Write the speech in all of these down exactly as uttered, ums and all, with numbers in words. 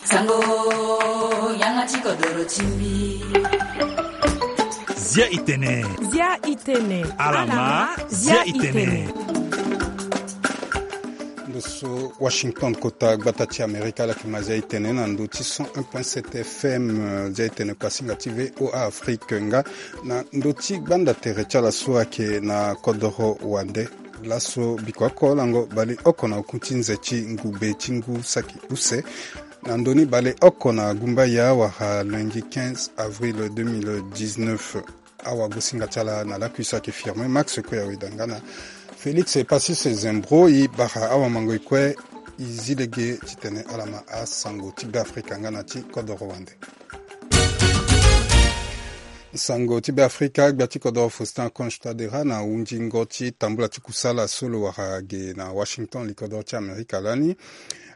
Sango, yanga ti kodoro ti mbi. Zia i tene. Zia i tene. Alama, zia i tene. Ndo so Washington, kota gbata ti Amerika, ala yeke ma zia i tene na ndo ti cent un point sept F M, zia i tene kuasinga ti V O A Afrique nga na ndo ti gbanda tere ti ala so ayeke na kodoro wande. Laso biko oko lango baleoko na oku ti nze ti ngube ti ngu saki use, na ndoni baleoko na gumbaya wala lundi quinze avril deux mille dix-neuf. Awagosinga ti ala na lakui so ayeke Firmin Max Koyaweda nga na Félix Passis Zembro. E bara awamango e kue, e zi lege titene ala ma asango ti Beafrika nga na ti kodoro wande. Sango ti Beafrika, gbia ti kodoro Faustin Archange Touadéra na hundingo ti tambula ti kusala so lo wara ge na Washington, li kodoro ti Amerika lani.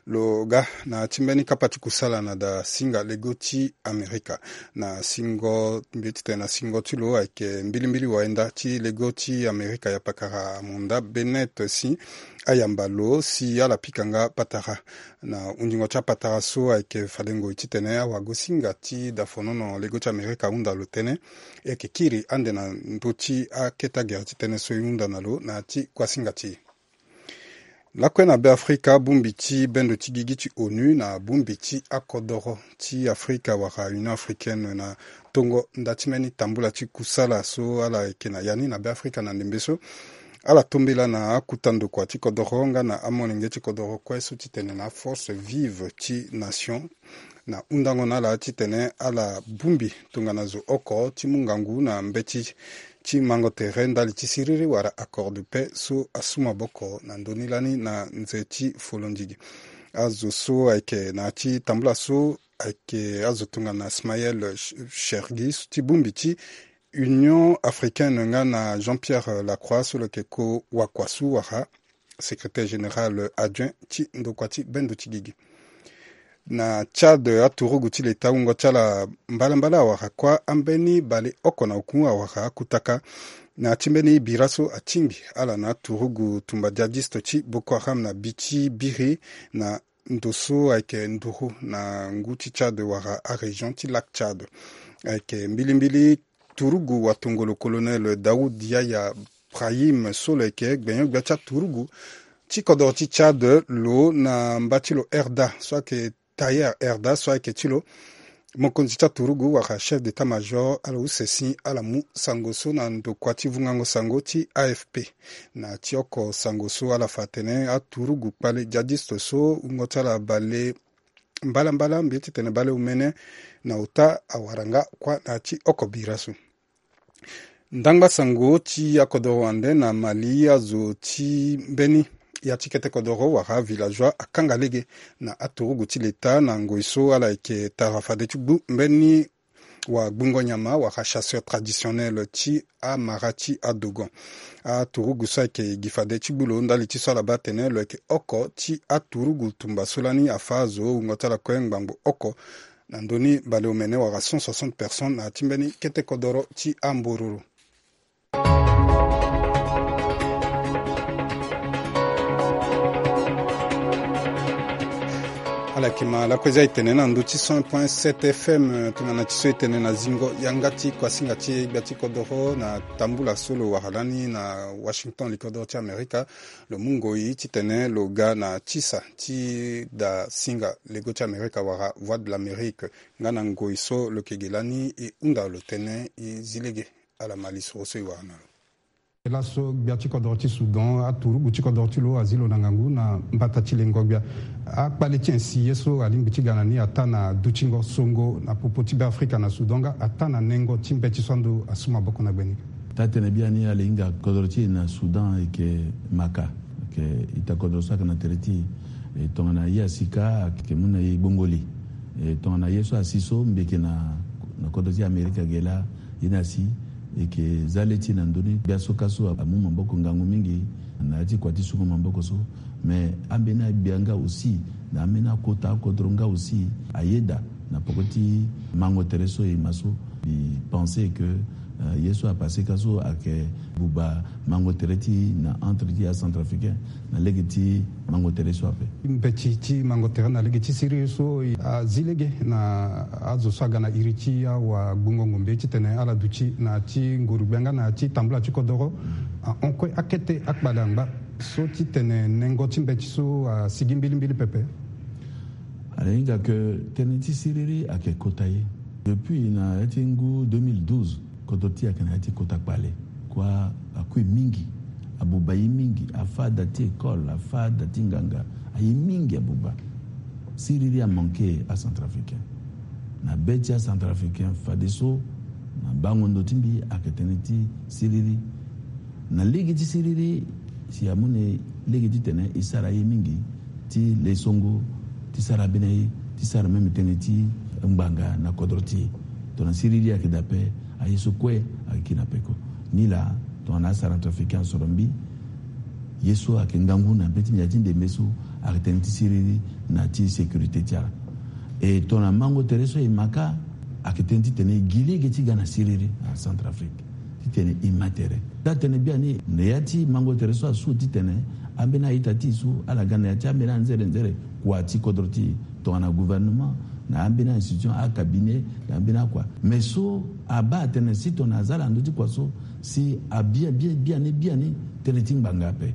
Lo ga na ti mbeni kapa ti kusala na da singa lego ti Amerika. Na singo, mbi titene na singo ti lo ayeke mbilimbili wayenda ti lego ti Amerika, yapakara Amanda Bennett si ayamba lo si ala pika nga patara. Na hundingo ti apatara so ayeke fade ngoi titene awagosinga ti dafonono lego ti Amerika ahunda lo tënë, e yeke kiri ande na ndö ti akete agere ti tënë so e hunda na lo na ya ti kuasinga ti e. Lakue na Beafrika, bongbi ti bendo ti gigi ti ONU na bongbi ti akodoro ti Afrika wala Union Africaine na tongo nda ti mbeni tambula ti kusala so ala yeke na ya ni na Beafrika na ndembe so, ala tombela na akuta ndokua ti kodoro nga na amolenge ti kodoro kue so titene na Force Vive ti Nation, na hundango na ala titene ala bongbi tongana zo oko ti mu ngangu na mbeti ti mango tere ndali ti siriri wala accord de paix so asu maboko na ndö ni lani na nze ti folondigi. Azo so ayeke na ya ti tambula so ayeke azo tongana Smaïl Ch-, Chergui so ti bongbi ti Union Africaine nga na Jean-Pierre Lacroix so lo yeke ko wakua so wala secrétaire général adjoint ti ndokua ti bendo ti gigi. Na Tchad, aturugu ti leta wungo ti ala mbalambala awara kuâ ambeni baleoko na oku awara akutaka na ya ti mbeni bira so atingbi ala na aturugu tumba djihadiste ti Boko Haram na bi ti biri na ndo so ayeke nduru na ngu ti Tchad wala arégion ti Lac Tchad. Ayeke mbilimbili turugu watongolo colonel Daoud Yahya Brahim so lo yeke gbenyo-gbia ti aturugu ti kodoro ti Tchad lo na mba ti lo Erda so ayeke Taher Erda so ayeke ti lo mokonzi ti aturugu wala chef d'état-major, ala use si ala mu sango so na ndokua ti vungango sango ti A F P. Na ti oko sango so ala fa atene aturugu kpale djihadiste so wungo ti ala bale mbalambala mbi ye titene baleomene na ota awara nga kuâ na ya ti oko bira so. Ndangba sango ti akodoro wande na Mali, azo ti mbeni ya ti kete kodoro wala villageois akanga lege na aturugu ti leta na ngoi so ala yeke tara fade ti gbu mbeni wagbungo nyama wala chasseur traditionnel ti amara ti adogon. Aturugu so ayeke gi fade ti gbu lo ndali ti so ala baa atene lo yeke oko ti aturugu tumba so lani afâ azo wungo ti ala kue ngbangbo oko na ndö ni baleomene wala cent soixante personnes na ya ti mbeni kete kodoro ti ambororo. Ala yeke ma lakue zia e tene na ndö ti cent point sept F M, tongana ti so e tene na zingo yanga ti kuasinga ti e gbia ti kodoro na tambula so lo wara lani na Washington, li kodoro ti Amerika. Lo mu ngoi titene lo ga na tisa ti da singa lego ti Amerika wala Voix de l'Amérique. Nga na ngoi so lo yeke ge lani e hunda lo tënë, e zi lege. Ala ma lisoro so e wara na lo. Laso gbia ti kodoro ti Soudan, aturugu ti kodoro ti lo azi lo na ngangu na mbata ti lengo gbia. Akpale ti insi ye so alingbi ti ga na ni ataa na dutingo songo na popo ti Beafrika na Soudan nga ataa na nengo ti mbeti so ando asu maboko na gbeni. Taa-tënë biani ala hinga kodoro ti e na Soudan e yeke maka. Ayeke ita kodoro so ayeke na tere ti e. E tongana ye asi kâ ayeke mu na e gbongoli. E tongana ye so asi so mbi yeke na, na kodro ti Amerika ge laa, ye ni asi e yeke za le ti e na ndö ni. Gbia so kâ so amu maboko ngangu mingi na ya ti kua ti sungo maboko so. Me ambeni agbia nga aussi, na ambeni akota akodro nga aussi, ayeda na poko ti mango tere so e ma so. Mbi pense que Ye so apase ka so ayeke buba mango tere ti na entre ti acentrafricain na lege ti mango tere so ape. Mbeti ti mango tere na lege ti siriri so azi lege na azo so aga na iri ti awagbungo ngombe titene ala duti na ti ngurugbe nga na ti tambula ti kodoro ahon kue akete akpale angba so titene nengo ti mbeti so asigi mbilimbili pepe. Ala hinga ke tënë ti siriri ayeke kota ye. Depuis na ya ti ngu deux mille douze, kodro ti e ayeke na ya ti kota kpale. Kua akui mingi, abuba ye mingi, afa da ti école, afa da ti nganga, aye mingi abuba. Siriri amanke acentrafricain. Na be ti acentrafricain fadeso na bango ndo ti mbi ayeke tënë ti siriri. Na lege ti siriri si amoni lege titene e sara ye mingi ti lesongo, ti sara ambeni aye, ti sara même tënë ti ngbanga na kodro ti e. Tongana siriri ayeke daa ape, aye so kue ayeke kiri na peko. Nilaa tongana acentrafricain asoro mbi, ye so ayeke ngangu na be ti ndia ti ndembe so ayeke tënë ti siriri na ti sécurité ti ala. E tongana mango tere so e ma ka ayeke tënë titene e gi lege ti ga na siriri na Centrafrique titene e ma tere. Daa tënë biani na ya ti mango tere so asu titene ambeni a-ita ti e so ala ga na ya ti ambeni anzere nzere kua ti kodro ti e, tongana gouvernement na ambeni a-institution, acabinet na ambeni akua. Mais so abaa atene si tongana aza ala na ndö ti kua so si abia bia biani biani tënë ti ngbanga ape.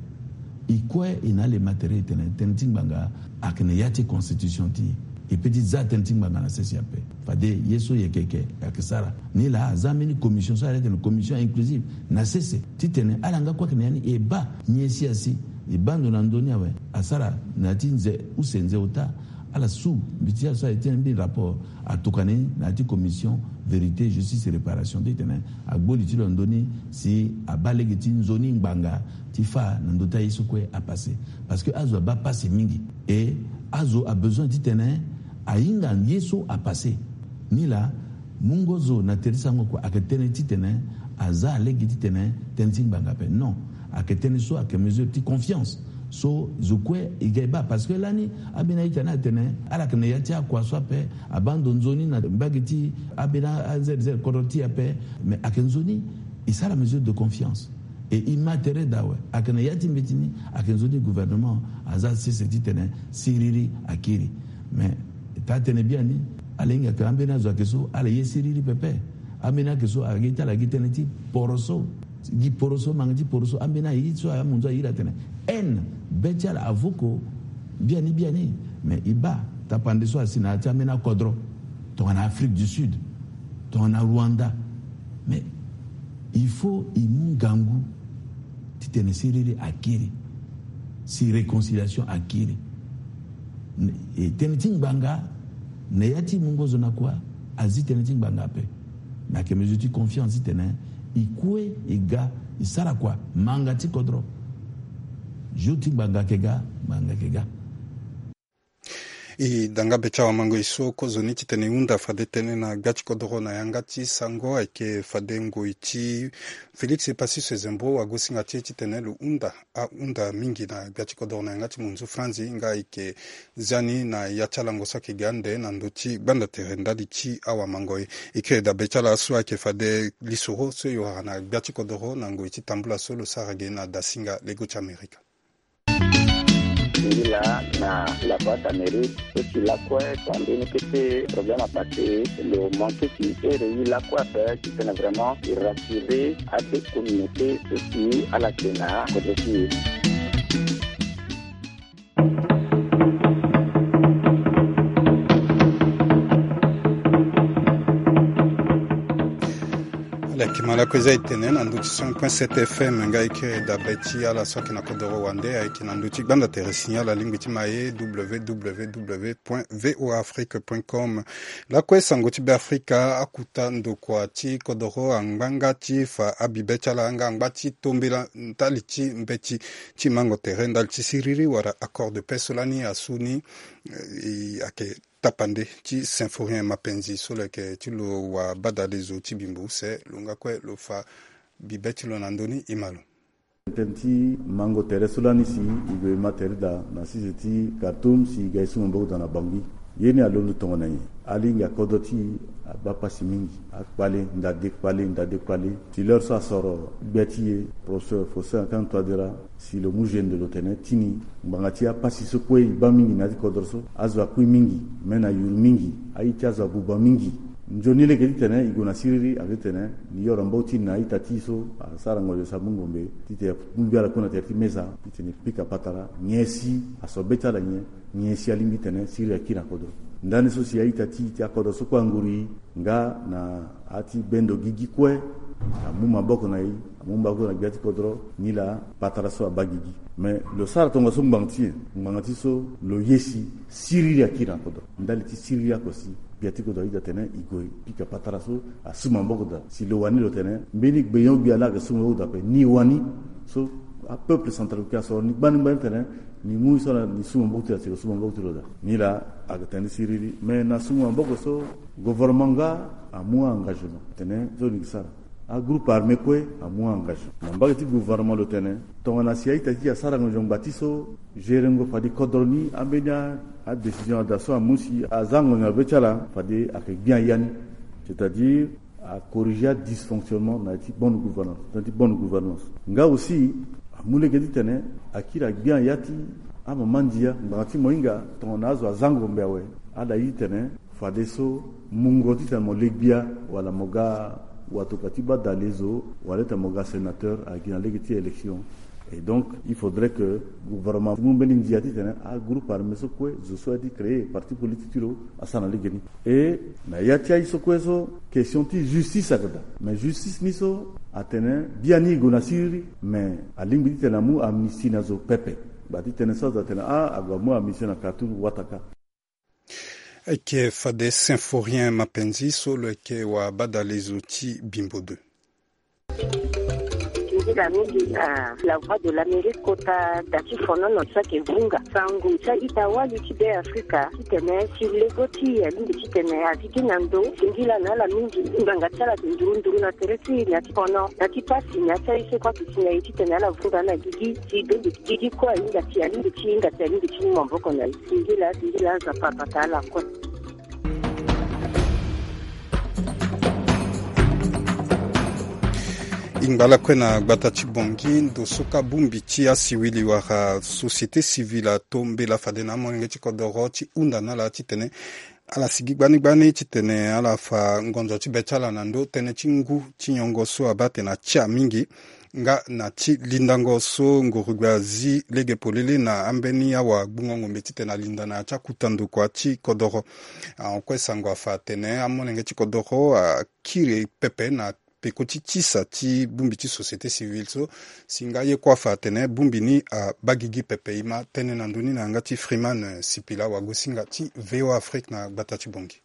E kue e na ala e ma tere e tene tënë ti ngbanga ayeke na ya ti constitution ti e. E pe ti za tënë ti ngbanga na sese ape. Fade ye so e yeke yeke e yeke sara. Nilaa aza ambeni commission so ala tene commission inclusive na sese titene ala nga kue ayeke na ya ni e baa nyen si asi e baa ndo na ndö ni awe. Asara na ya ti nze use nze ota ala su mbi ti ala so aye ti ambeni rapport atokua ni na ya ti commission vérité, justice et réparation titene agbo li ti lo na ndö ni si abaa lege ti nzoni ngbanga ti fâ na ndö ti aye so kue apase. Parce que azo abaa pasi mingi e azo abezoin titene ahinga ye so apase. Nilaa mungo zo na tere ti sango kua ayeke tënë titene aza lege titene tënë ti ngbanga ape. Non, ayeke tënë so ayeke mesure ti confiance so zo kue e ga e baa. Parce que lani ambeni a-ita ni atene ala yeke na ya ti akua so ape, abaa ndo nzoni na mbage ti ambeni a-, anzere nzere kodro ti e ape. Mais ayeke nzoni e sara mesure de confiance. E e ma tere daa awe ayeke na ya ti mbeti ni ayeke nzoni gouvernement aza sese titene siriri akiri. Mais taa tënë biani ala hinga ke ambeni azo ayeke so ala ye siriri pepe. Ambeni ayeke so ayeke ti ala gi tënë ti poroso, gi poroso, manga ti poroso. Ambeni aye so amunzu aye iri atene haine be ti ala avoko biani biani. Mais e baa tapande so asi na ya ti ambeni akodro tongana Afrique du Sud, tongana Rwanda. Mais il faut e mu ngangu titene siriri akiri, si réconciliation akiri. E tënë ti ngbanga na ya ti mungo zo na kua azi tënë ti ngbanga ape. Me ayeke mesure ti confiance titene e kue e ga e sara kua manga ti kodro. Jour ti ngbanga ayeke ga, ngbanga ayeke ga. E da nga be ti awamango e so kozoni titene e hunda fade tënë na gbia ti kodoro na yanga ti sango ayeke fade ngoi ti Félix Epassus Zembo wagosinga ti e titene lo hunda ahunda mingi na gbia ti kodoro na yanga ti munzu franzi nga ayeke zia ni na ya ti alango so ayeke ga ande na ndö ti gbanda tere ndali ti awamango e. E kiri da be ti ala so ayeke fade lisoro so e wara na gbia ti kodoro na ngoi ti tambula so lo sara ge na dasinga lego ti Amerika. Ngi laa na la boîte à mérite so si lakue tongana mbeni kete problème apase lo manke si ere ye lakue ape titene vraiment e rassurer abe communauté so si ala yeke na kodro ti e. Ala yeke ma lakue eza e tene na ndö ti cent point sept F M nga e kiri dabe ti ala so ayeke na kodoro wande ayeke na ndö ti gbanda tere signal alingbi ti ma ye W W W point V O A Afrique point com. Lakue sango ti Beafrika, akuta ndokua ti kodoro angba nga ti fa abibe ti ala nga angba ti tombela ndali ti mbeti ti mango tere ndali ti siriri wala accord de paix so lani asu ni. Eh, e ayeke tapande ti Symphorien Mapenzi so lo yeke ti lo wabadale zo ti bimbo use lo nga kue lo fa bibe ti lo na ndö ni e ma lo. Tënë ti mango tere so lani si e gue e ma tere daa na sese ti Khartoum si e ga e su maboko daa na Bangui. Ye ni alondo tongana nyen? Alingbi akodro ti e abaa pasi mingi. Akpale ndade kpale ndade kpale. Si l'heure so asoro gbia ti e, professeur Faustin Archange Touadéra, si lo mu gene de lo tene ti ni ngbanga ti apasi so kue e baa mingi na ya ti kodro so, azo akui mingi, me na yuru mingi, aye ti azo abuba mingi. Nzoni lege titene e gue na siriri ake titene ni yoro mbau ti ni na a-ita ti e so asara ngonzo si amu ngombe titene e mu mbi ala kue na tere ti meza titene e pika patara nyen si aso be ti ala nyen, nyen si alingbi titene siriri akiri na kodro. Ndani so si a-ita ti e ti akodro so kue anguru e nga na a ti bendo gigi kue, amu maboko na e, amu maboko na gbia ti kodro, nilaa patara so abaa gigi. Me lo sara tongaso ngbanga ti nyen? Ngbanga ti so lo ye si siriri akiri na kodro. Ndali ti siriri oko si gbia ti kodro ayeda tene e gue e pika patara so asu maboko daa. Si lo wani lo tene mbeni gbenyo-gbia laa ayeke su maboko daa ape, ni wani. So apeuple centrafricain asoro ni gbani gbani tene ni mu e so ala ni su maboko ti lo daa, si lo su maboko ti lo daa. Nilaa ayeke tene ni siriri. Me na su maboko so, gouvernement nga amu a-engagement tene so ni ke sara. Agroupe armé kue amu a-engagement na mbage ti gouvernement lo tene tongana si a-ita ti e asara ngonzo ngbanga ti so, gerengo fade kodro ni ambeni a-décision ada so amu si aza ngonzo na be ti ala, fade ayeke gbia ya ni. C'est-à-dire acorriger adysfonctionnement na ya ti bonne gouvernance, na ya ti bonne gouvernance. Nga aussi amu lege titene akiri agbia ya ti amama ndia ngbanga ti mo hinga tongana azo aza ngombe awe, ala ye titene fadeso mungo titene mo le gbia wala mo ga watoka ti baa dalezo wala titene mo ga sénateur agi na lege ti élection. Et donc il faudrait que gouvernement mu mbeni ndia titene agroupe armé so kue zo so aye ti créer parti politique ti lo asara na lege ni. Et na ya ti aye so kue so question ti justice ayeke daa. Mais justice ni so atene biani e gue na siriri, mais alingbi titene amu amnistie na zo pepe. Gba ti tene so azo atene ah ague amu amnistie na Khartoum wata kâ. Ayeke fade Symphorien Mapenzi so lo yeke wa badalezo ti Bimbo deux. Ndila mingi na La Voix de l'Amérique kota da ti fonono so ayeke vunga sango ti a-ita wali ti Be Afrika titene si lego ti e alingbi titene azi gi na ndo. Singila na ala mingi ngbanga ti ala ayeke nduru nduru na tere ti e na ya ti fono na ya ti pasi na ya ti aye so kue ayeke si na e titene ala vunga na gigi si dongo gigi kue ahinga ti alingbi ti hinga ti alingbi ti mu maboko na e. Singila singila Nzapa abata ala kue. E ngba lakue na gbata ti Bangui ndo so kâ bongbi ti asiwili wala société civile ato mbela fade na amolenge ti kodoro ti hunda na ala titene ala sigi gbani gbani titene ala fa ngonzo ti be ti ala na ndo tënë ti ngu ti nyongo so abaa atene atia mingi. Nga na ti lindango so ngorogbe azi lege polele na ambeni awagbungo ngombe titene alinda na ya ti akuta ndokua ti kodoro. Ahon kue sango afa atene amolenge ti kodoro akiri pepe na peko ti tisa ti bongbi ti société civile so. Si nga ye kue afa atene bongbi ni abaa gigi pepe. E ma tënë na ndö ni na yanga ti Freeman Sipila wagosinga ti V O A Afrique na gbata ti Bangui.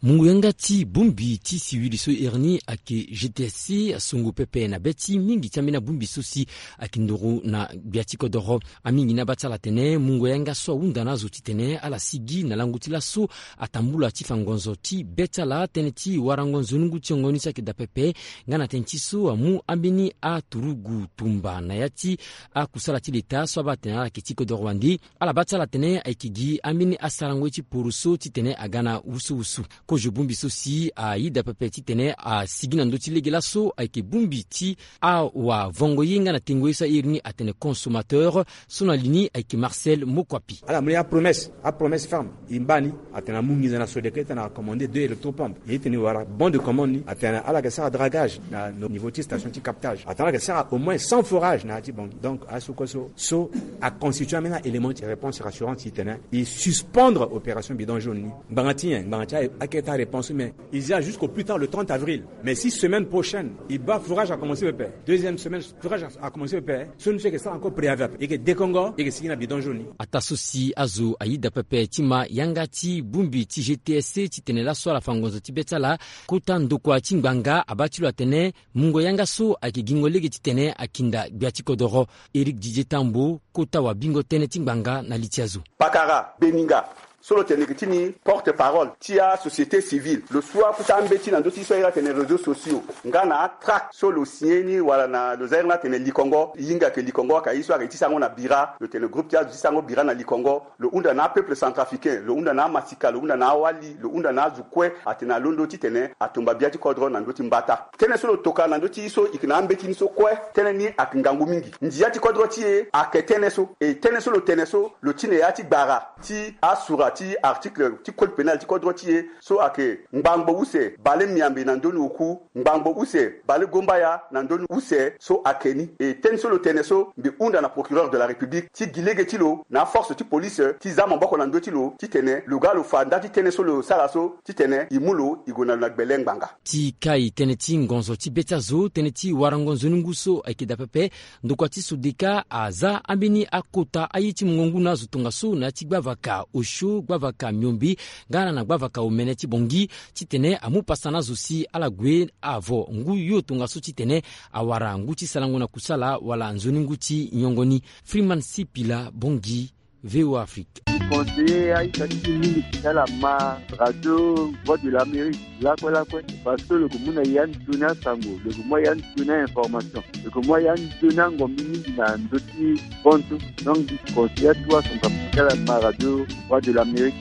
Mungo yanga ti bongbi ti siwili so iri ni ayeke G T S C asongo pepe na be ti mingi ti ambeni abongbi so si ayeke ndoro na gbia ti kodoro. Amingi ni abaa ti ala atene mungo yanga so ahunda na azo titene ala sigi na lango ti laso atambula ti fa ngonzo ti be ti ala. Tënë ti warango nzoni ngu ti yongo ni so ayeke daa pepe nga na tënë ti so amu ambeni aturugu tumba na ya ti akusala ti leta so abaa atene ala yeke ti kodoro wande. Ala baa ti ala atene ayeke gi ambeni asarango ye ti poroso titene aga na wusuwusu. Kozo bongbi so si ayeda pepe titene asigi na ndö ti lege laso ayeke bongbi ti awavongo ye nga na tengo ye so a iri ni atene consommateur so na li ni ayeke Marcel Mokoapi. Ala mu ni apromesse, apromesse ferme. E mba ni atene amu nginza na Sodeco titene acommande deux électropompe. E tene wala bon de commande ni atene ala yeke sara dragage na niveau ti station ti captage atene ala yeke sara au moins cent forage na ya ti Bangui. Donc aye so kue so so aconstitue ambeni élément ti réponse rassurante titene e suspendre opération bidon jaune ni. Ngbanga ti nyen? Ngbanga ti akete aréponse mais e zia jusqu'au plus tard le trente avril. Mais si semaine prochaine e baa forage akomense pepe, deuxième semaine forage akomense pepe, so ni so e yeke sara encore préavis ape, e yeke dekongo, e yeke sigi na bidon jaune ni. Ataa so si azo ayeda pepe ti ma yanga ti bongbi ti G T S C titene laso ala fa ngonzo ti be ti ala. Kota ndokua ti ngbanga abaa ti lo atene mungo yanga so ayeke gingo lege titene akinda gbia ti kodoro. Éric Didier Tambo, kota wabingo tënë ti ngbanga na li ti azo. Pakara, Beninga, so lo tene yeke ti ni porte parole ti asociété civile, lo su akuta ambeti na ndö ti so ahiri atene réseaux sociaux nga na atract so lo signé ni wala na lo za ahiri ni atene likongo, hinga yeke likongo aka ye so ayeke ti sango na bira, lo tene groupe ti azo ti sango bira na likongo. Lo hunda na apeuple centrafricain, lo hunda na amasika, lo hunda na awali, lo hunda na azo kue atene alondo titene atomba bia ti kodro na ndö ti mbata. Tënë so lo toka na ndö ti so e yeke na ambeti ni so kue, tënë ni ayeke ngangu mingi. Ndia ti kodro ti e ayeke tënë so, e tënë so lo tene so lo ti na ya ti gbara ti asura ti article ti code pénal ti kodro ti e so ayeke ngbangbo use bale miambe na ndö ni oku, ngbangbo use bale gombaya na ndö ni use so ayeke ni. E tënë so lo tene so mbi hunda na procureur de la République ti gi lege ti lo na aforce ti police ti za maboko na ndö ti lo titene lo ga lo fa nda ti tënë so lo sara so titene e mu lo e gue na lo na gbele ngbanga. Ti kai tënë ti ngonzo ti be ti azo, tënë ti warango nzoni ngu so ayeke daa pepe. Ndokua ti Sodeka aza ambeni akota aye ti mungo ngu na azo tongaso na ya ti gbavaka osio, gbavaka miombe nga na gbavaka omene ti Bangui titene amu pasa na azo si ala gue avo ngu yo tongaso titene awara ngu ti salango na kusala wala nzoni ngu ti nyongo ni. Freeman Sipila, Bangui, V O A Afrique. Conseiller aita ti mingi ti ala ma radio Voix de l'Amérique lakue lakue, parce que lo yeke mu na ya nzoni asango, lo yeke mu ya nzoni ainformation, lo yeke mu ya nzoni angombi mingi na ndö ti bontu. Donc mbi conseiller atu asango ti ala ma radio Voix de l'Amérique.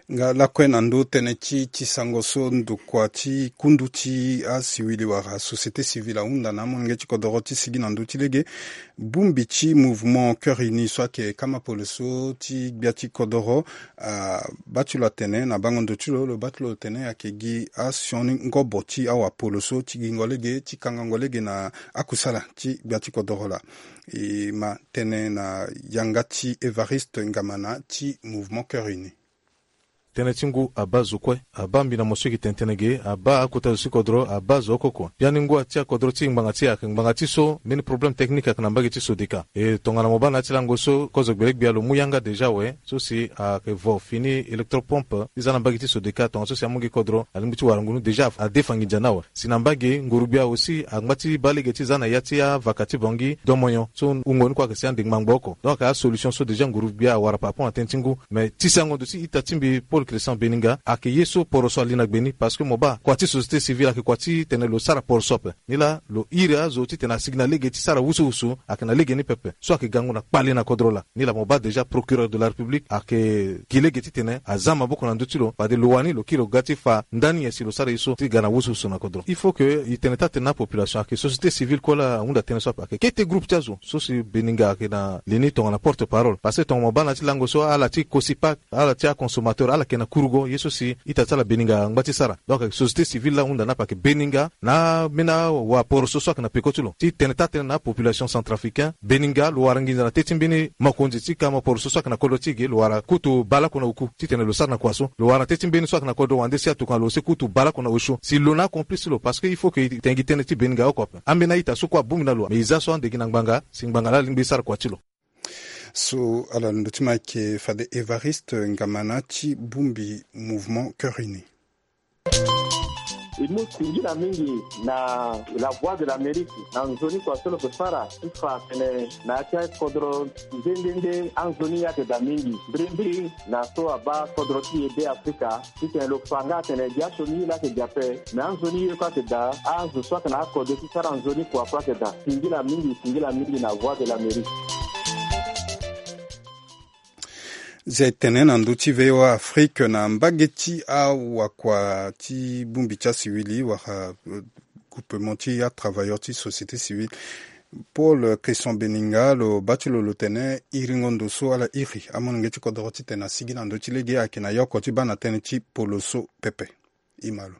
Nga lakue na ndö tënë ti ti sango so ndokua ti kundu ti asiwili wala société civile ahunda na amolenge ti kodoro ti sigi na ndö ti lege. Bongbi ti mouvement Cœur Uni so ayeke kama polo so ti gbia ti kodoro, ah, baa ti lo atene na bango ndo ti lo, lo baa ti lo tene ayeke gi asioni ngobo ti awapolo so ti gingo lege ti kangango lege na akusala ti gbia ti kodoro laa. E ma tënë na yanga ti Évariste Ngamana ti mouvement Cœur Uni. Tënë ti ngu abaa zo kue, abaa mbi na mo so e yeke tene tënë ge, abaa akota zo ti kodro, abaa zo oko kue. Biani ngu ati akodro ti e ngbanga ti e ayeke ngbanga ti so mbeni problème technique ayeke na mbage ti Sodeka. E tongana mo baa na ya ti lango so kozo gbele gbia lo mu yanga déjà awe, so si ayeke vo fini électropompe ti za na mbage ti Sodeka, tongaso si amu gi kodro alingbi ti wara ngu ni déjà adefa nginza ni awe. Si na mbage nguru-gbia aussi angba ti baa lege ti za na ya ti avaka ti Bangui domoyon so wungo ni kue ayeke si ande ngbangbo oko. Donc asolution so déjà nguru-gbia awara par rapport na tënë ti ngu. Mais ti sango ndo ti ita ti mbi Paul Christian Beninga ayeke ye so poroso ali na gbe ni, parce que mo baa kua ti société civile ayeke kua ti tene lo sara poroso ape. Nilaa lo iri azo titene asigi na lege ti sara wusuwusu ayeke na lege ni pepe so ayeke gango na kpale na kodro laa. Nilaa mo baa déjà procureur de la République ayeke gi lege titene aza maboko na ndö ti lo, fade lo wani lo kiri lo ga ti fa ndani nyen si lo sara ye so ti ga na wusuwusu na kodro. Il faut que e tene taa tene na apopulation ayeke société civile kue laa ahunda tënë so ape, ayeke kete groupe ti azo so si Beninga ayeke na le ni tongana porte parole. Parce que tongana mo baa na ya ti lango so ala ti Cosipac, ala ti aconsommateur ala yeke na kurugo ye so si ita ti ala Beninga angba ti sara. Donc société civile laa ahunda ni ape ayeke Beninga na ambeni awaporoso so ayeke na peko ti lo ti tene taa tënë na apopulation centrafricain. Beninga lo wara nginza na teti mbeni mokonzi ti kama poroso so ayeke na kodro ti e ge, lo wara kutu baleoko na oku titene lo sara na kua so. Lo wara na teti mbeni so ayeke na kodro wande si atokua lo aussi kutu baleoko na osio. Si lo na acomplice ti lo, parce que il faut que e tene gi tënë ti Beninga oko ape. Ambeni a-ita so kue abongbi na lo, mais e za so ande gi na ngbanga si ngbanga laa alingbi e sara kua ti lo. So ala ndo ti ma ayeke fade Évariste Ngamana ti bongbi mouvement Cœur Uni. E mu singila mingi na La Voix de l'Amérique na nzoni kua so lo yeke sara ti fa atene na ya ti akodro nde nde nde anzoni ayeke daa mingi mbirimbiri na so abaa kodro ti e Be Afrika. Titene lo fa nga atene gi asioni ye laa ayeke gi ape, me anzoni ye kue ayeke daa, azo so ayeke na akode ti sara nzoni kua kue ayeke daa. Singila mingi, singila mingi na Voix de l'Amérique. Zia e tene na ndö ti V O A Afrique na mbage ti awakua ti bongbi ti asiwili wala, euh, groupement ti atravailleur ti société civile. Paul Christian Beninga lo baa ti lo lo tene iringo ndo so ala iri amolenge ti kodoro titene asigi na ndö ti lege ayeke na ye oko ti baa na tënë ti polo so pepe. E ma lo.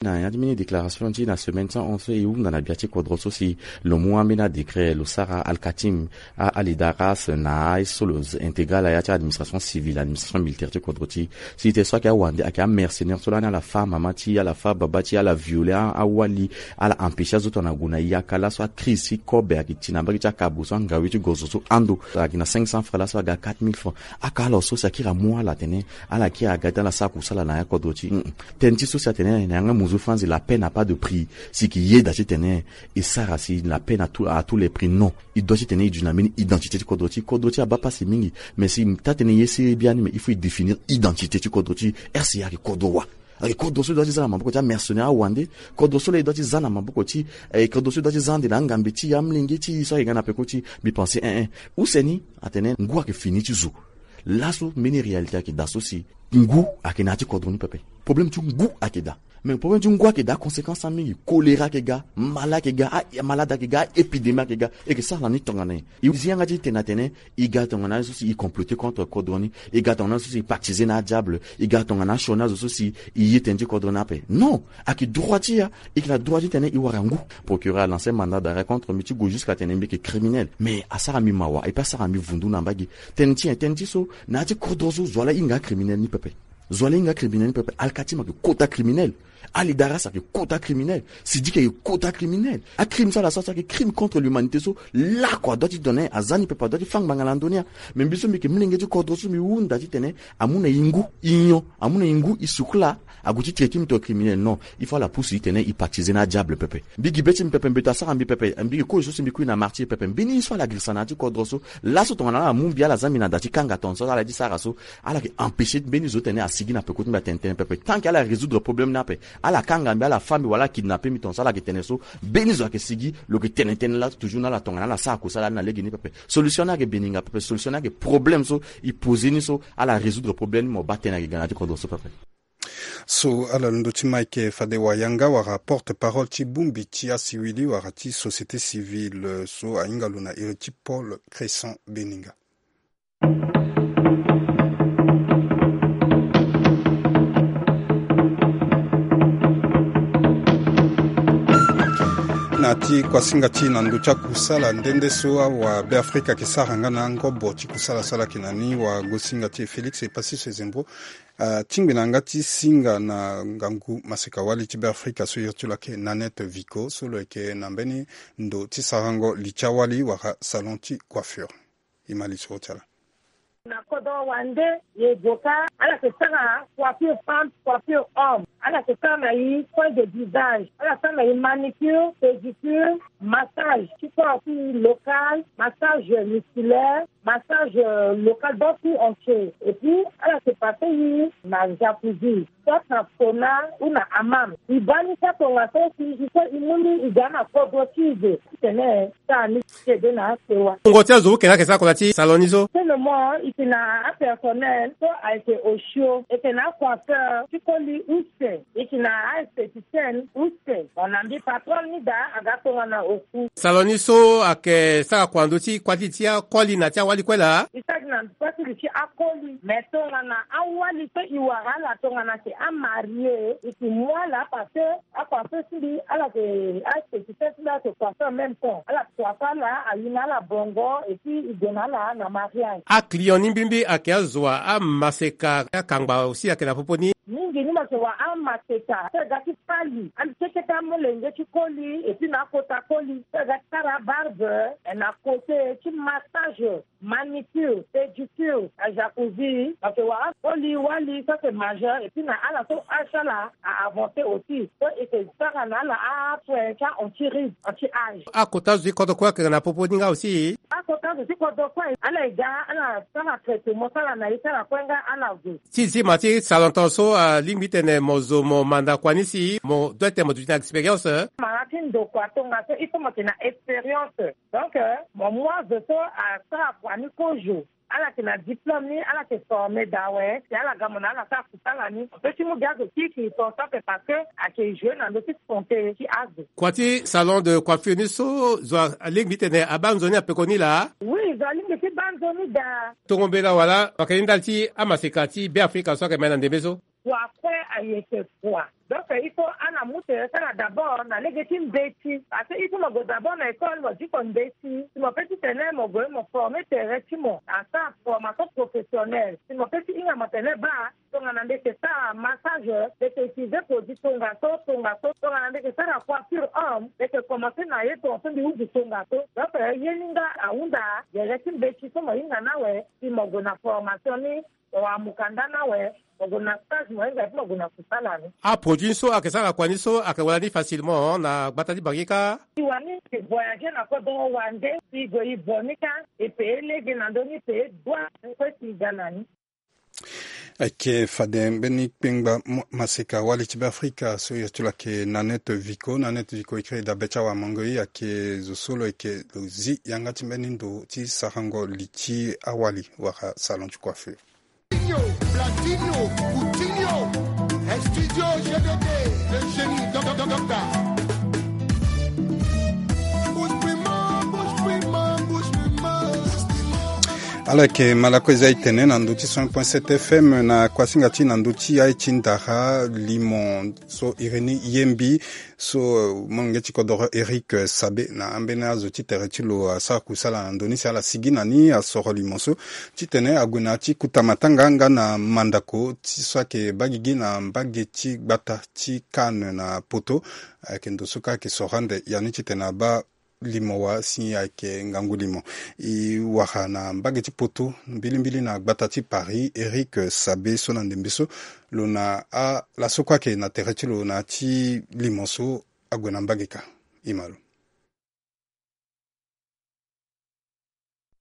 Na ya ti mbeni déclaration ti na semaine ti ahon so e hunda na gbia ti kodro so si lo mu ambeni adécret lo sara alkatim a alidaras na aye so lo intégral na ya ti administration civile, administration militaire ti kodro ti e. Si tene so ayeke awande ayeke amercenaire so lani ala fâ mama ti e, ala fâ baba ti e, ala viole a, awali, ala empêcher azo tongana gue na yaka laso akrise ti kobe ayeke ti na mbage ti akabo so angawe ti gozo so ando ayeke na cinq cents francs laso aga quatre mille francs. Aka ala so si akiri amu ala atene ala kiri aga ti ala sara kusala na ya kodro ti e. Tënë ti so si atene na yanga mo Zo fandi, la paix n'a pas de prix. Si ki yeda titene e sara si la paix à tous les prix, non. E doit titene e duti na mbeni identité ti kodro ti e. Kodro ti e abaa pasi mingi. Mais si taa-tënë ye sere biani, mais il faut e définir identité ti kodro ti e. RCA ayeke kodro wa? Ayeke kodro so e doit ti za na maboko ti amercenaire awande? Kodro so laa e doit ti za na maboko ti, eh, kodro so e doit ti za ande na angambe ti e, amolenge ti e so ayeke ga na peko ti e? Mbi pense, eh, eh. Use ni atene ngu ayeke fini ti zo. Laso mbeni réalité ayeke daa so si ngu ayeke na ya ti kodro ni pepe. Problème ti ngu ayeke daa. Mais problème ti ngu ayeke daa, conséquence ni mingi. Choléra ayeke ga, mala ayeke ga, a-, malade ayeke ga, a-épidémie ayeke ga. E yeke sara na ni tongana nyen? E zi yanga ti tene atene e ga tongana so si e comploter contre kodro ni, e ga tongana so si e pactiser na adiable, e ga tongana asioni azo so si e ye tënë ti kodro ni ape. Non, ayeke droit ti e. E yeke na droit titene e wara ngu. Procureur alancer mandat d'arrêt contre mbi ti gue jusqu'à tene mbi yeke criminel. Mais asara mbi mawa, et puis asara mbi vundu na mbage. Tënë ti nyen? Tënë ti so na ya ti kodro so zo wa laa e hinga acriminel ni pepe. Zo wa laa e hinga acriminel ni pepe. Alkatim ayeke kota criminel. Ali Daras ayeke kota criminel. Sidiki ayeke kota criminel. Acrime so ala sara so ayeke crime contre l'humanité so, lakue adoit ti donner, aza ni pepe adoit ti fâ ngbanga na ndö ni. Mais mbi so mbi yeke molenge ti kodro so mbi hunda titene amu na e ngu, e nyon, amu na e ngu, e sukula, ague ti traiter mbi tongana criminel. Non, il faut ala pusu e titene e pactiser na adiable pepe. Mbi gi be ti mbi pepe, mbeto asara mbi pepe, mbi yeke kozo so si mbi kui na martyr pepe. Mbeni ye so ala girisa na ya ti kodro so, laso tongana ala mu mbi, ala za mbi na da ti kanga tongaso ala ye ti sara so, ala yeke empêcher mbeni zo titene asigi na peko ti mbi atene tënë pepe. Tant que ala résoudre problème ni ape, ala kanga mbi, ala fâ mbi wala ala kidnapper mbi tongaso, ala yeke tene so, mbeni zo ayeke sigi, lo yeke tene tënë laa toujours na ala tongana ala sara kusala ni na legeni pepe. Solution ni ayeke beninga pepe, solution ni ayeke problème so e poser ni so, ala résoudre problème ni, mo baa tënë ayeke ga na ya ti kodro so pepe. So ala londo ti Mike Fadewayanga wala porte-parole ti bongbi ti asiwili wala ti société civile so ahinga lo na iri ti Paul Crescent Beninga. Na ti kuasinga ti e na ndö ti akusala nde nde so awabeafrika ayeke sara nga na angobo ti kusala so ala yeke na ni, wagosinga ti e Félix Epassis Ezembo atingbi na yanga ti singa na ngangu maseka-wali ti Beafrika so iri ti lo ayeke Nanette Vico, so lo yeke na mbeni ndo ti sarango li ti awali wala salon ti coiffure. E ma lisoro ti ala. Na kodro wande, e gue ka, ala yeke sara coiffure femme, coiffure homme. Ala yeke sara na e soin de visage, ala sara na e manicure, pédicure, massage ti corps ti e local, massage musculaire, massage, euh, local, donc tout entier. Et puis ala yeke passe e na jacuzzi, soit na sauna ou na hammam. E baa ni kâ tongaso si e so e mu ni e ga na kodro ti e. Titene sara ni ti ede na asewa. Wungo ti azo wu yeke na ayeke sara kota ti salon ni so? Tene mo, e yeke na apersonnel so ayeke osio, e yeke na acoiffeur ti koli use, e yeke na aesthéticienne use. Mo na mbi patron ni daa aga tongana oku. Salon ni so ayeke sara kua ndö ti kuâ ti li ti akoli na ti awali kue laa? E sara gi na kuâ ti li ti akoli. Mais tongana awali so e wara ala tongana ayeke amarie, e yeke mu ala parce que acoiffeur ti mbi, ala yeke aesthéticienne ti mbi, ala yeke coiffeur en même temps. Ala coiffer ala, ayi na ala bongo, et puis e gue na ala na mariage. Aclient ni mbirimbiri ayeke azo wa, amaseka, akangba aussi ayeke na popo ni? Mingi ni mo yeke wara amaseka so e ga ti fali, ande keke ti amolenge ti koli, et puis na akota koli so e ga ti sara abarbe, eh, na côté ti massage, manicure, pédicure, ajacuzzi, parce que wala akoli wali so ayeke majeur, et puis na ala so âge ti ala a avancer aussi, so e yeke sara na ala asoin ti a-anti-rides, anti-âge. Akota zo ti kodro kue ayeke na popo ni nga aussi? Akota zo ti kodro kue ala ye ga, ala sara traitement ti ala na ye ti ala kue nga ala zo. Ti zi ma ti salon tongaso, alingbi tene mo zo mo manda kua ni si mo doit tene mo duti na expérience? Mara ti ndokua tongaso il faut mo yeke na expérience. Donc, euh, mo mu azo so asara kua ni kozo. Ala yeke na diplôme ni, ala yeke former daa awe, si ala ga mo na ala sara kusala ni. Mo peut ti mu gi azo kiki tongaso ape parce que ayeke jouer na ndö ti santé ti azo. Kua ti salon de coiffure ni so zo alingbi tene abaa nzoni na peko ni laa? Oui, zo alingbi ti baa nzoni daa. Tongo mbela wala wayeke ni ndali ti amaseka ti Beafrika so ayeke ma na ndembe so? Kua kue ayeke kua. Donc il faut ala mu tere ti ala d'abord na lege ti mbeti. Parce que il faut mo gue d'abord na école, mo diko mbeti. Si mo peut titene mo gue mo former tere ti mo, asara formation professionnelle. Si mo peut ti hinga mo tene baa, tongana mbi yeke sara massage, mbi yeke utiliser produit tongaso, tongaso. Tongana mbi yeke sara coiffure homme, mbi yeke commencer na ye tongaso, mbi hunda tongaso. Donc ye ni nga ahunda gere ti mbeti so mo hinga ni awe, si mo gue na formation ni, mo wara mukanda ni awe, mo gue na stage, mo hinga ti mo gue na kusala ni. Aproduit Ti so ayeke sara kua ni so ayeke wara ni facilement na gbata ti Bangi kâ. E wani e voyager na kodro wande, e gue e vo ni kâ, e pe e lege na ndö ni pe e dua kue si e ga na ni. Ayeke fade mbeni kpengba mo-, maseka wali ti Beafrika so e yeke ti lo ayeke Nanette Vico. Nanette Vico e kiri dabe ti awamango e, ayeke zo so lo yeke lo zi yanga ti mbeni ndo ti sarango li ti awali wala salon ti coiffure. Platinho, Coutinho, Studio G D D, le génie, doc, doc, doc, doc. Bouche Prima, Bouche Prima, Bouche Prima. Ala yeke malako eza e tene na ndö ti cent point sept F M na kuasinga ti na ndö ti aye ti ndara limo so Irénée Yembi. So, eh, molenge ti kodoro Eric, eh, Sabe na ambeni azo ti tere ti lo asara kusala na ndö ni si ala sigi na ni asoro limo so titene ague na ya ti kuta matanga nga na mandako ti so ayeke baa gigi na mbage ti gbata ti Cannes na poto. Ayeke ndo so kâ ayeke soro ande ya ni titene abaa limo wa si ayeke ngangu limo. E wara na mbage ti poto mbilimbili na gbata ti Paris, Eric Sabe so na ndembe so lo na ala so kue ayeke na tere ti lo na ya ti limo so ague na mbage kâ. E ma lo.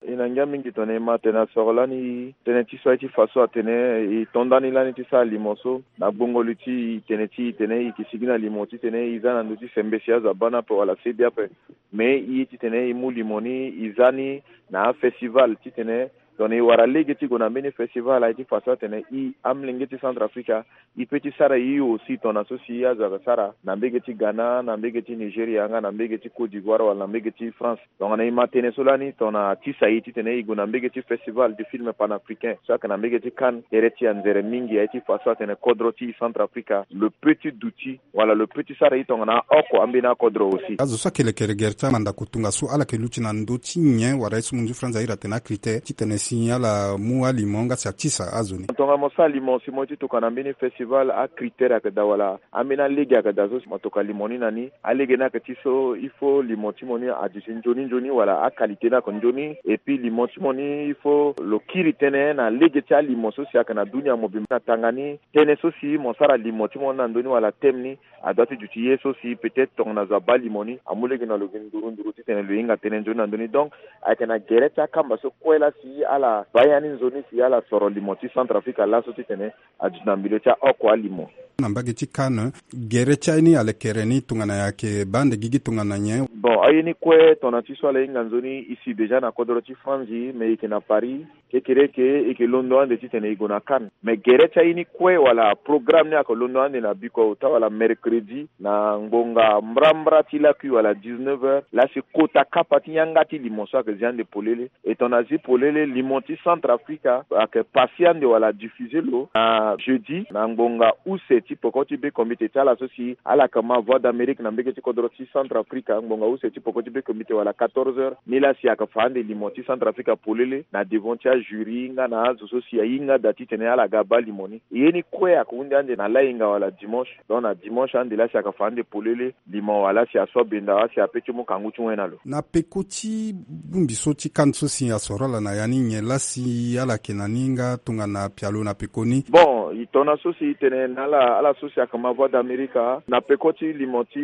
E na ngia mingi tongana e ma tene asoro lani tënë ti so aye ti fa so atene e to ndani lani ti sara limo so na gbongo li ti e, tënë ti e tene e yeke sigi na limo titene e za na ndö ti sembe si azo abaa ni ape wala se bi ape. Me e ye titene e mu limo ni e za ni na afestival titene tongana e wara lege ti gue na mbeni festival aye ti fa so atene e amolenge ti Centrafrique e peut ti sara e aussi tongana so si azo ayeke sara na mbage ti Ghana, na mbage ti Nigeria nga na mbage ti Côte d'Ivoire wala na mbage ti France. Tongana e ma tënë so lani tongana atisa e titene e gue na mbage ti festival du film panafricain so ayeke na mbage ti Cannes, tere ti e anzere mingi aye ti fa so atene kodro ti e Centrafrique lo peut ti duti wala lo peut ti sara e tongana aoko ambeni akodro aussi. Azo so ayeke lekere gere ti amandako tongaso ala yeke luti na ndö ti nyen wala ye so munzu France ahiri atene acritère titene si ala mu alimo nga si atisa azo ni? Tongana mo sara limo si mo ye ti tokua na mbeni festival, acritère ayeke daa wala ambeni alege ayeke daa so si mo tokua limo ni na ni. Alege ni ayeke ti so il faut limo ti mo ni aduti nzoni nzoni wala aqualité ni ayeke nzoni. Et puis limo ti mo ni il faut lo kiri tënë na lege ti alimo so si ayeke na dunia mobimba na tanga ni. Tënë so si mo sara limo ti mo ni na ndö ni wala thème ni adoit ti duti ye so si peut-être tongana zo abaa limo ni amu lege na lo gi nduru nduru titene lo hinga tënë nzoni na ndö ni. Donc ayeke na gere ti akamba so kue laa si ala baa ya ni nzoni si ala soro limo ti Centrafrique laso titene aduti na milieu ti aoko alimo. Na mbage ti Cannes, gere ti aye ni alekere ni tongana nyen, ayeke baa ande gigi tongana nyen? Bon, aye ni kue tongana ti so ala hinga nzoni e si déjà na kodro ti Franzi, me e yeke na Paris. Kekereke e yeke londo ande titene e gue na Cannes. Me gere ti aye ni kue wala programme ni ayeke londo ande na biko ota wala mercredi na ngbonga mbrambra ti lakui wala dix-neuf heures laa si kota kapa ti yanga ti limo so ayeke zi ande polele. E tongana zi polele, limo ti Centrafrique ayeke pase ande wala diffuser lo na jeudi na ngbonga use ti peko ti be komite ti ala so si ala yeke ma Voix d'Amérique na mbage ti kodro ti Centrafrique, ngbonga use ti peko ti be komite wala quatorze heures, ni laa si ayeke fa ande limo ti Centrafrique polele na devant ti ajury nga na azo so si ahinga daa titene ala ga baa limo ni. Ye ni kue ayeke hunde ande na lahinga wala dimanche. Donc na dimanche ande laa si ayeke fa ande polele limo wala si aso benda wala si ape ti mu kangu ti wen na lo. Na peko ti bongbi so ti Cannes so si asoro ala na ya ni, nyen laa si ala yeke na ni nga tongana pialo na peko ni? Bon, e tongana so si e tene na ala, ala so si ayeke ma Voix d'Amérique na peko ti limo ti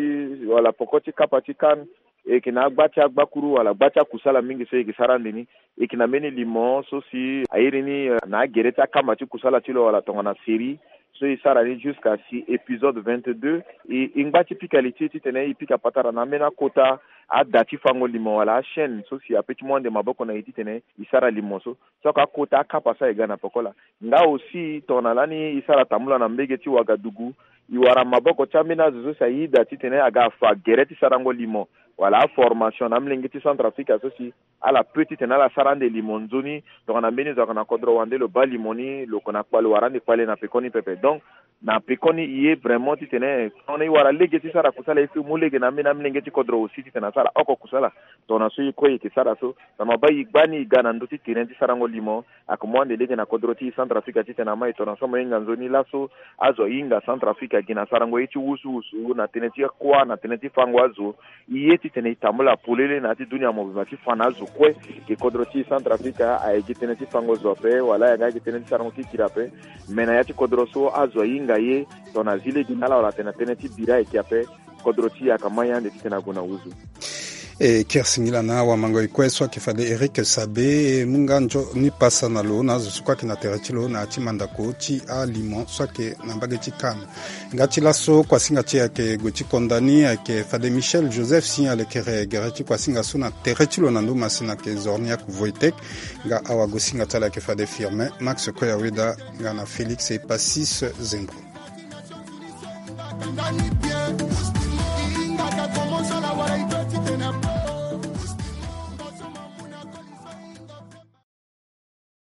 wala peko ti kapa ti Cannes, e yeke na agba ti agbakuru wala gba ti akusala mingi so e yeke sara ande ni. E yeke na mbeni limo so si a iri ni, eh, na agere ti akamba ti kusala ti lo wala tongana série so e sara ni jusqu'à si épisode vingt-deux. E, e ngba ti pika li ti e titene e pika patara na ambeni akota ada ti fango limo wala achaîne so si ape ti mu ande maboko na e titene e sara limo so. So ayeke akota akapa so aye ga na peko laa. Nga aussi tongana lani e sara tambula na mbage ti Ouagadougou, e wara maboko ti ambeni azo so si aye daa titene aga afa gere ti sarango limo wala aformation na amolenge ti Centrafrique so si ala peut titene ala sara ande limo nzoni. Tongana mbeni zo ayeke na kodro wande lo baa limo ni, lo yeke na kpale wara ande kpale na pekoni pepe. Donc na pekoni e ye vraiment titene tongana e wara lege ti sara kusala, il faut e mu lege na ambeni amolenge ti kodro aussi titene asara oko kusala. Tongana so e kue e yeke sara so, na mabaa e gba ni e ga na ndö ti terrain ti sarango limo, ayeke mu ande lege na kodro ti e Centrafrique titene ama e tongana so mo hinga nzoni laso azo ahinga Centrafrique agi na sarango ye ti wusuwusu na tënë ti kuâ na tënë ti fango azo. E ye titene e tambula polele na ya ti dunia mobimba ti fa na azo kue ke kodro ti e Centrafrique aye gi tënë ti fango zo ape wala aye ga gi tënë ti sarango kikiri ape. Me na ya ti kodro so azo ahinga Aye, tongana zi lege na ala wala atene na tënë ti bira ayeke ape. Kodro ti e ayeke ma ye ande titene ague na nduzu. E kiri singila na awamango e kue so ayeke fade Eric Sabe, e mu nga nzoni pasa na lo na azo so kue ayeke na tere ti lo na ya ti mandako ti alimo so ayeke na mbage ti CAN. Nga ti laso kuasinga ti e ayeke gue ti konda ni, ayeke fade Michel Joseph si alekere gere ti kuasinga so na tere ti lo na ndo masina ayeke Zorniak Wojtek. Nga awagosinga ti ala ayeke fade Firmin Max Koyaweda nga na Félix Epasis Zembro.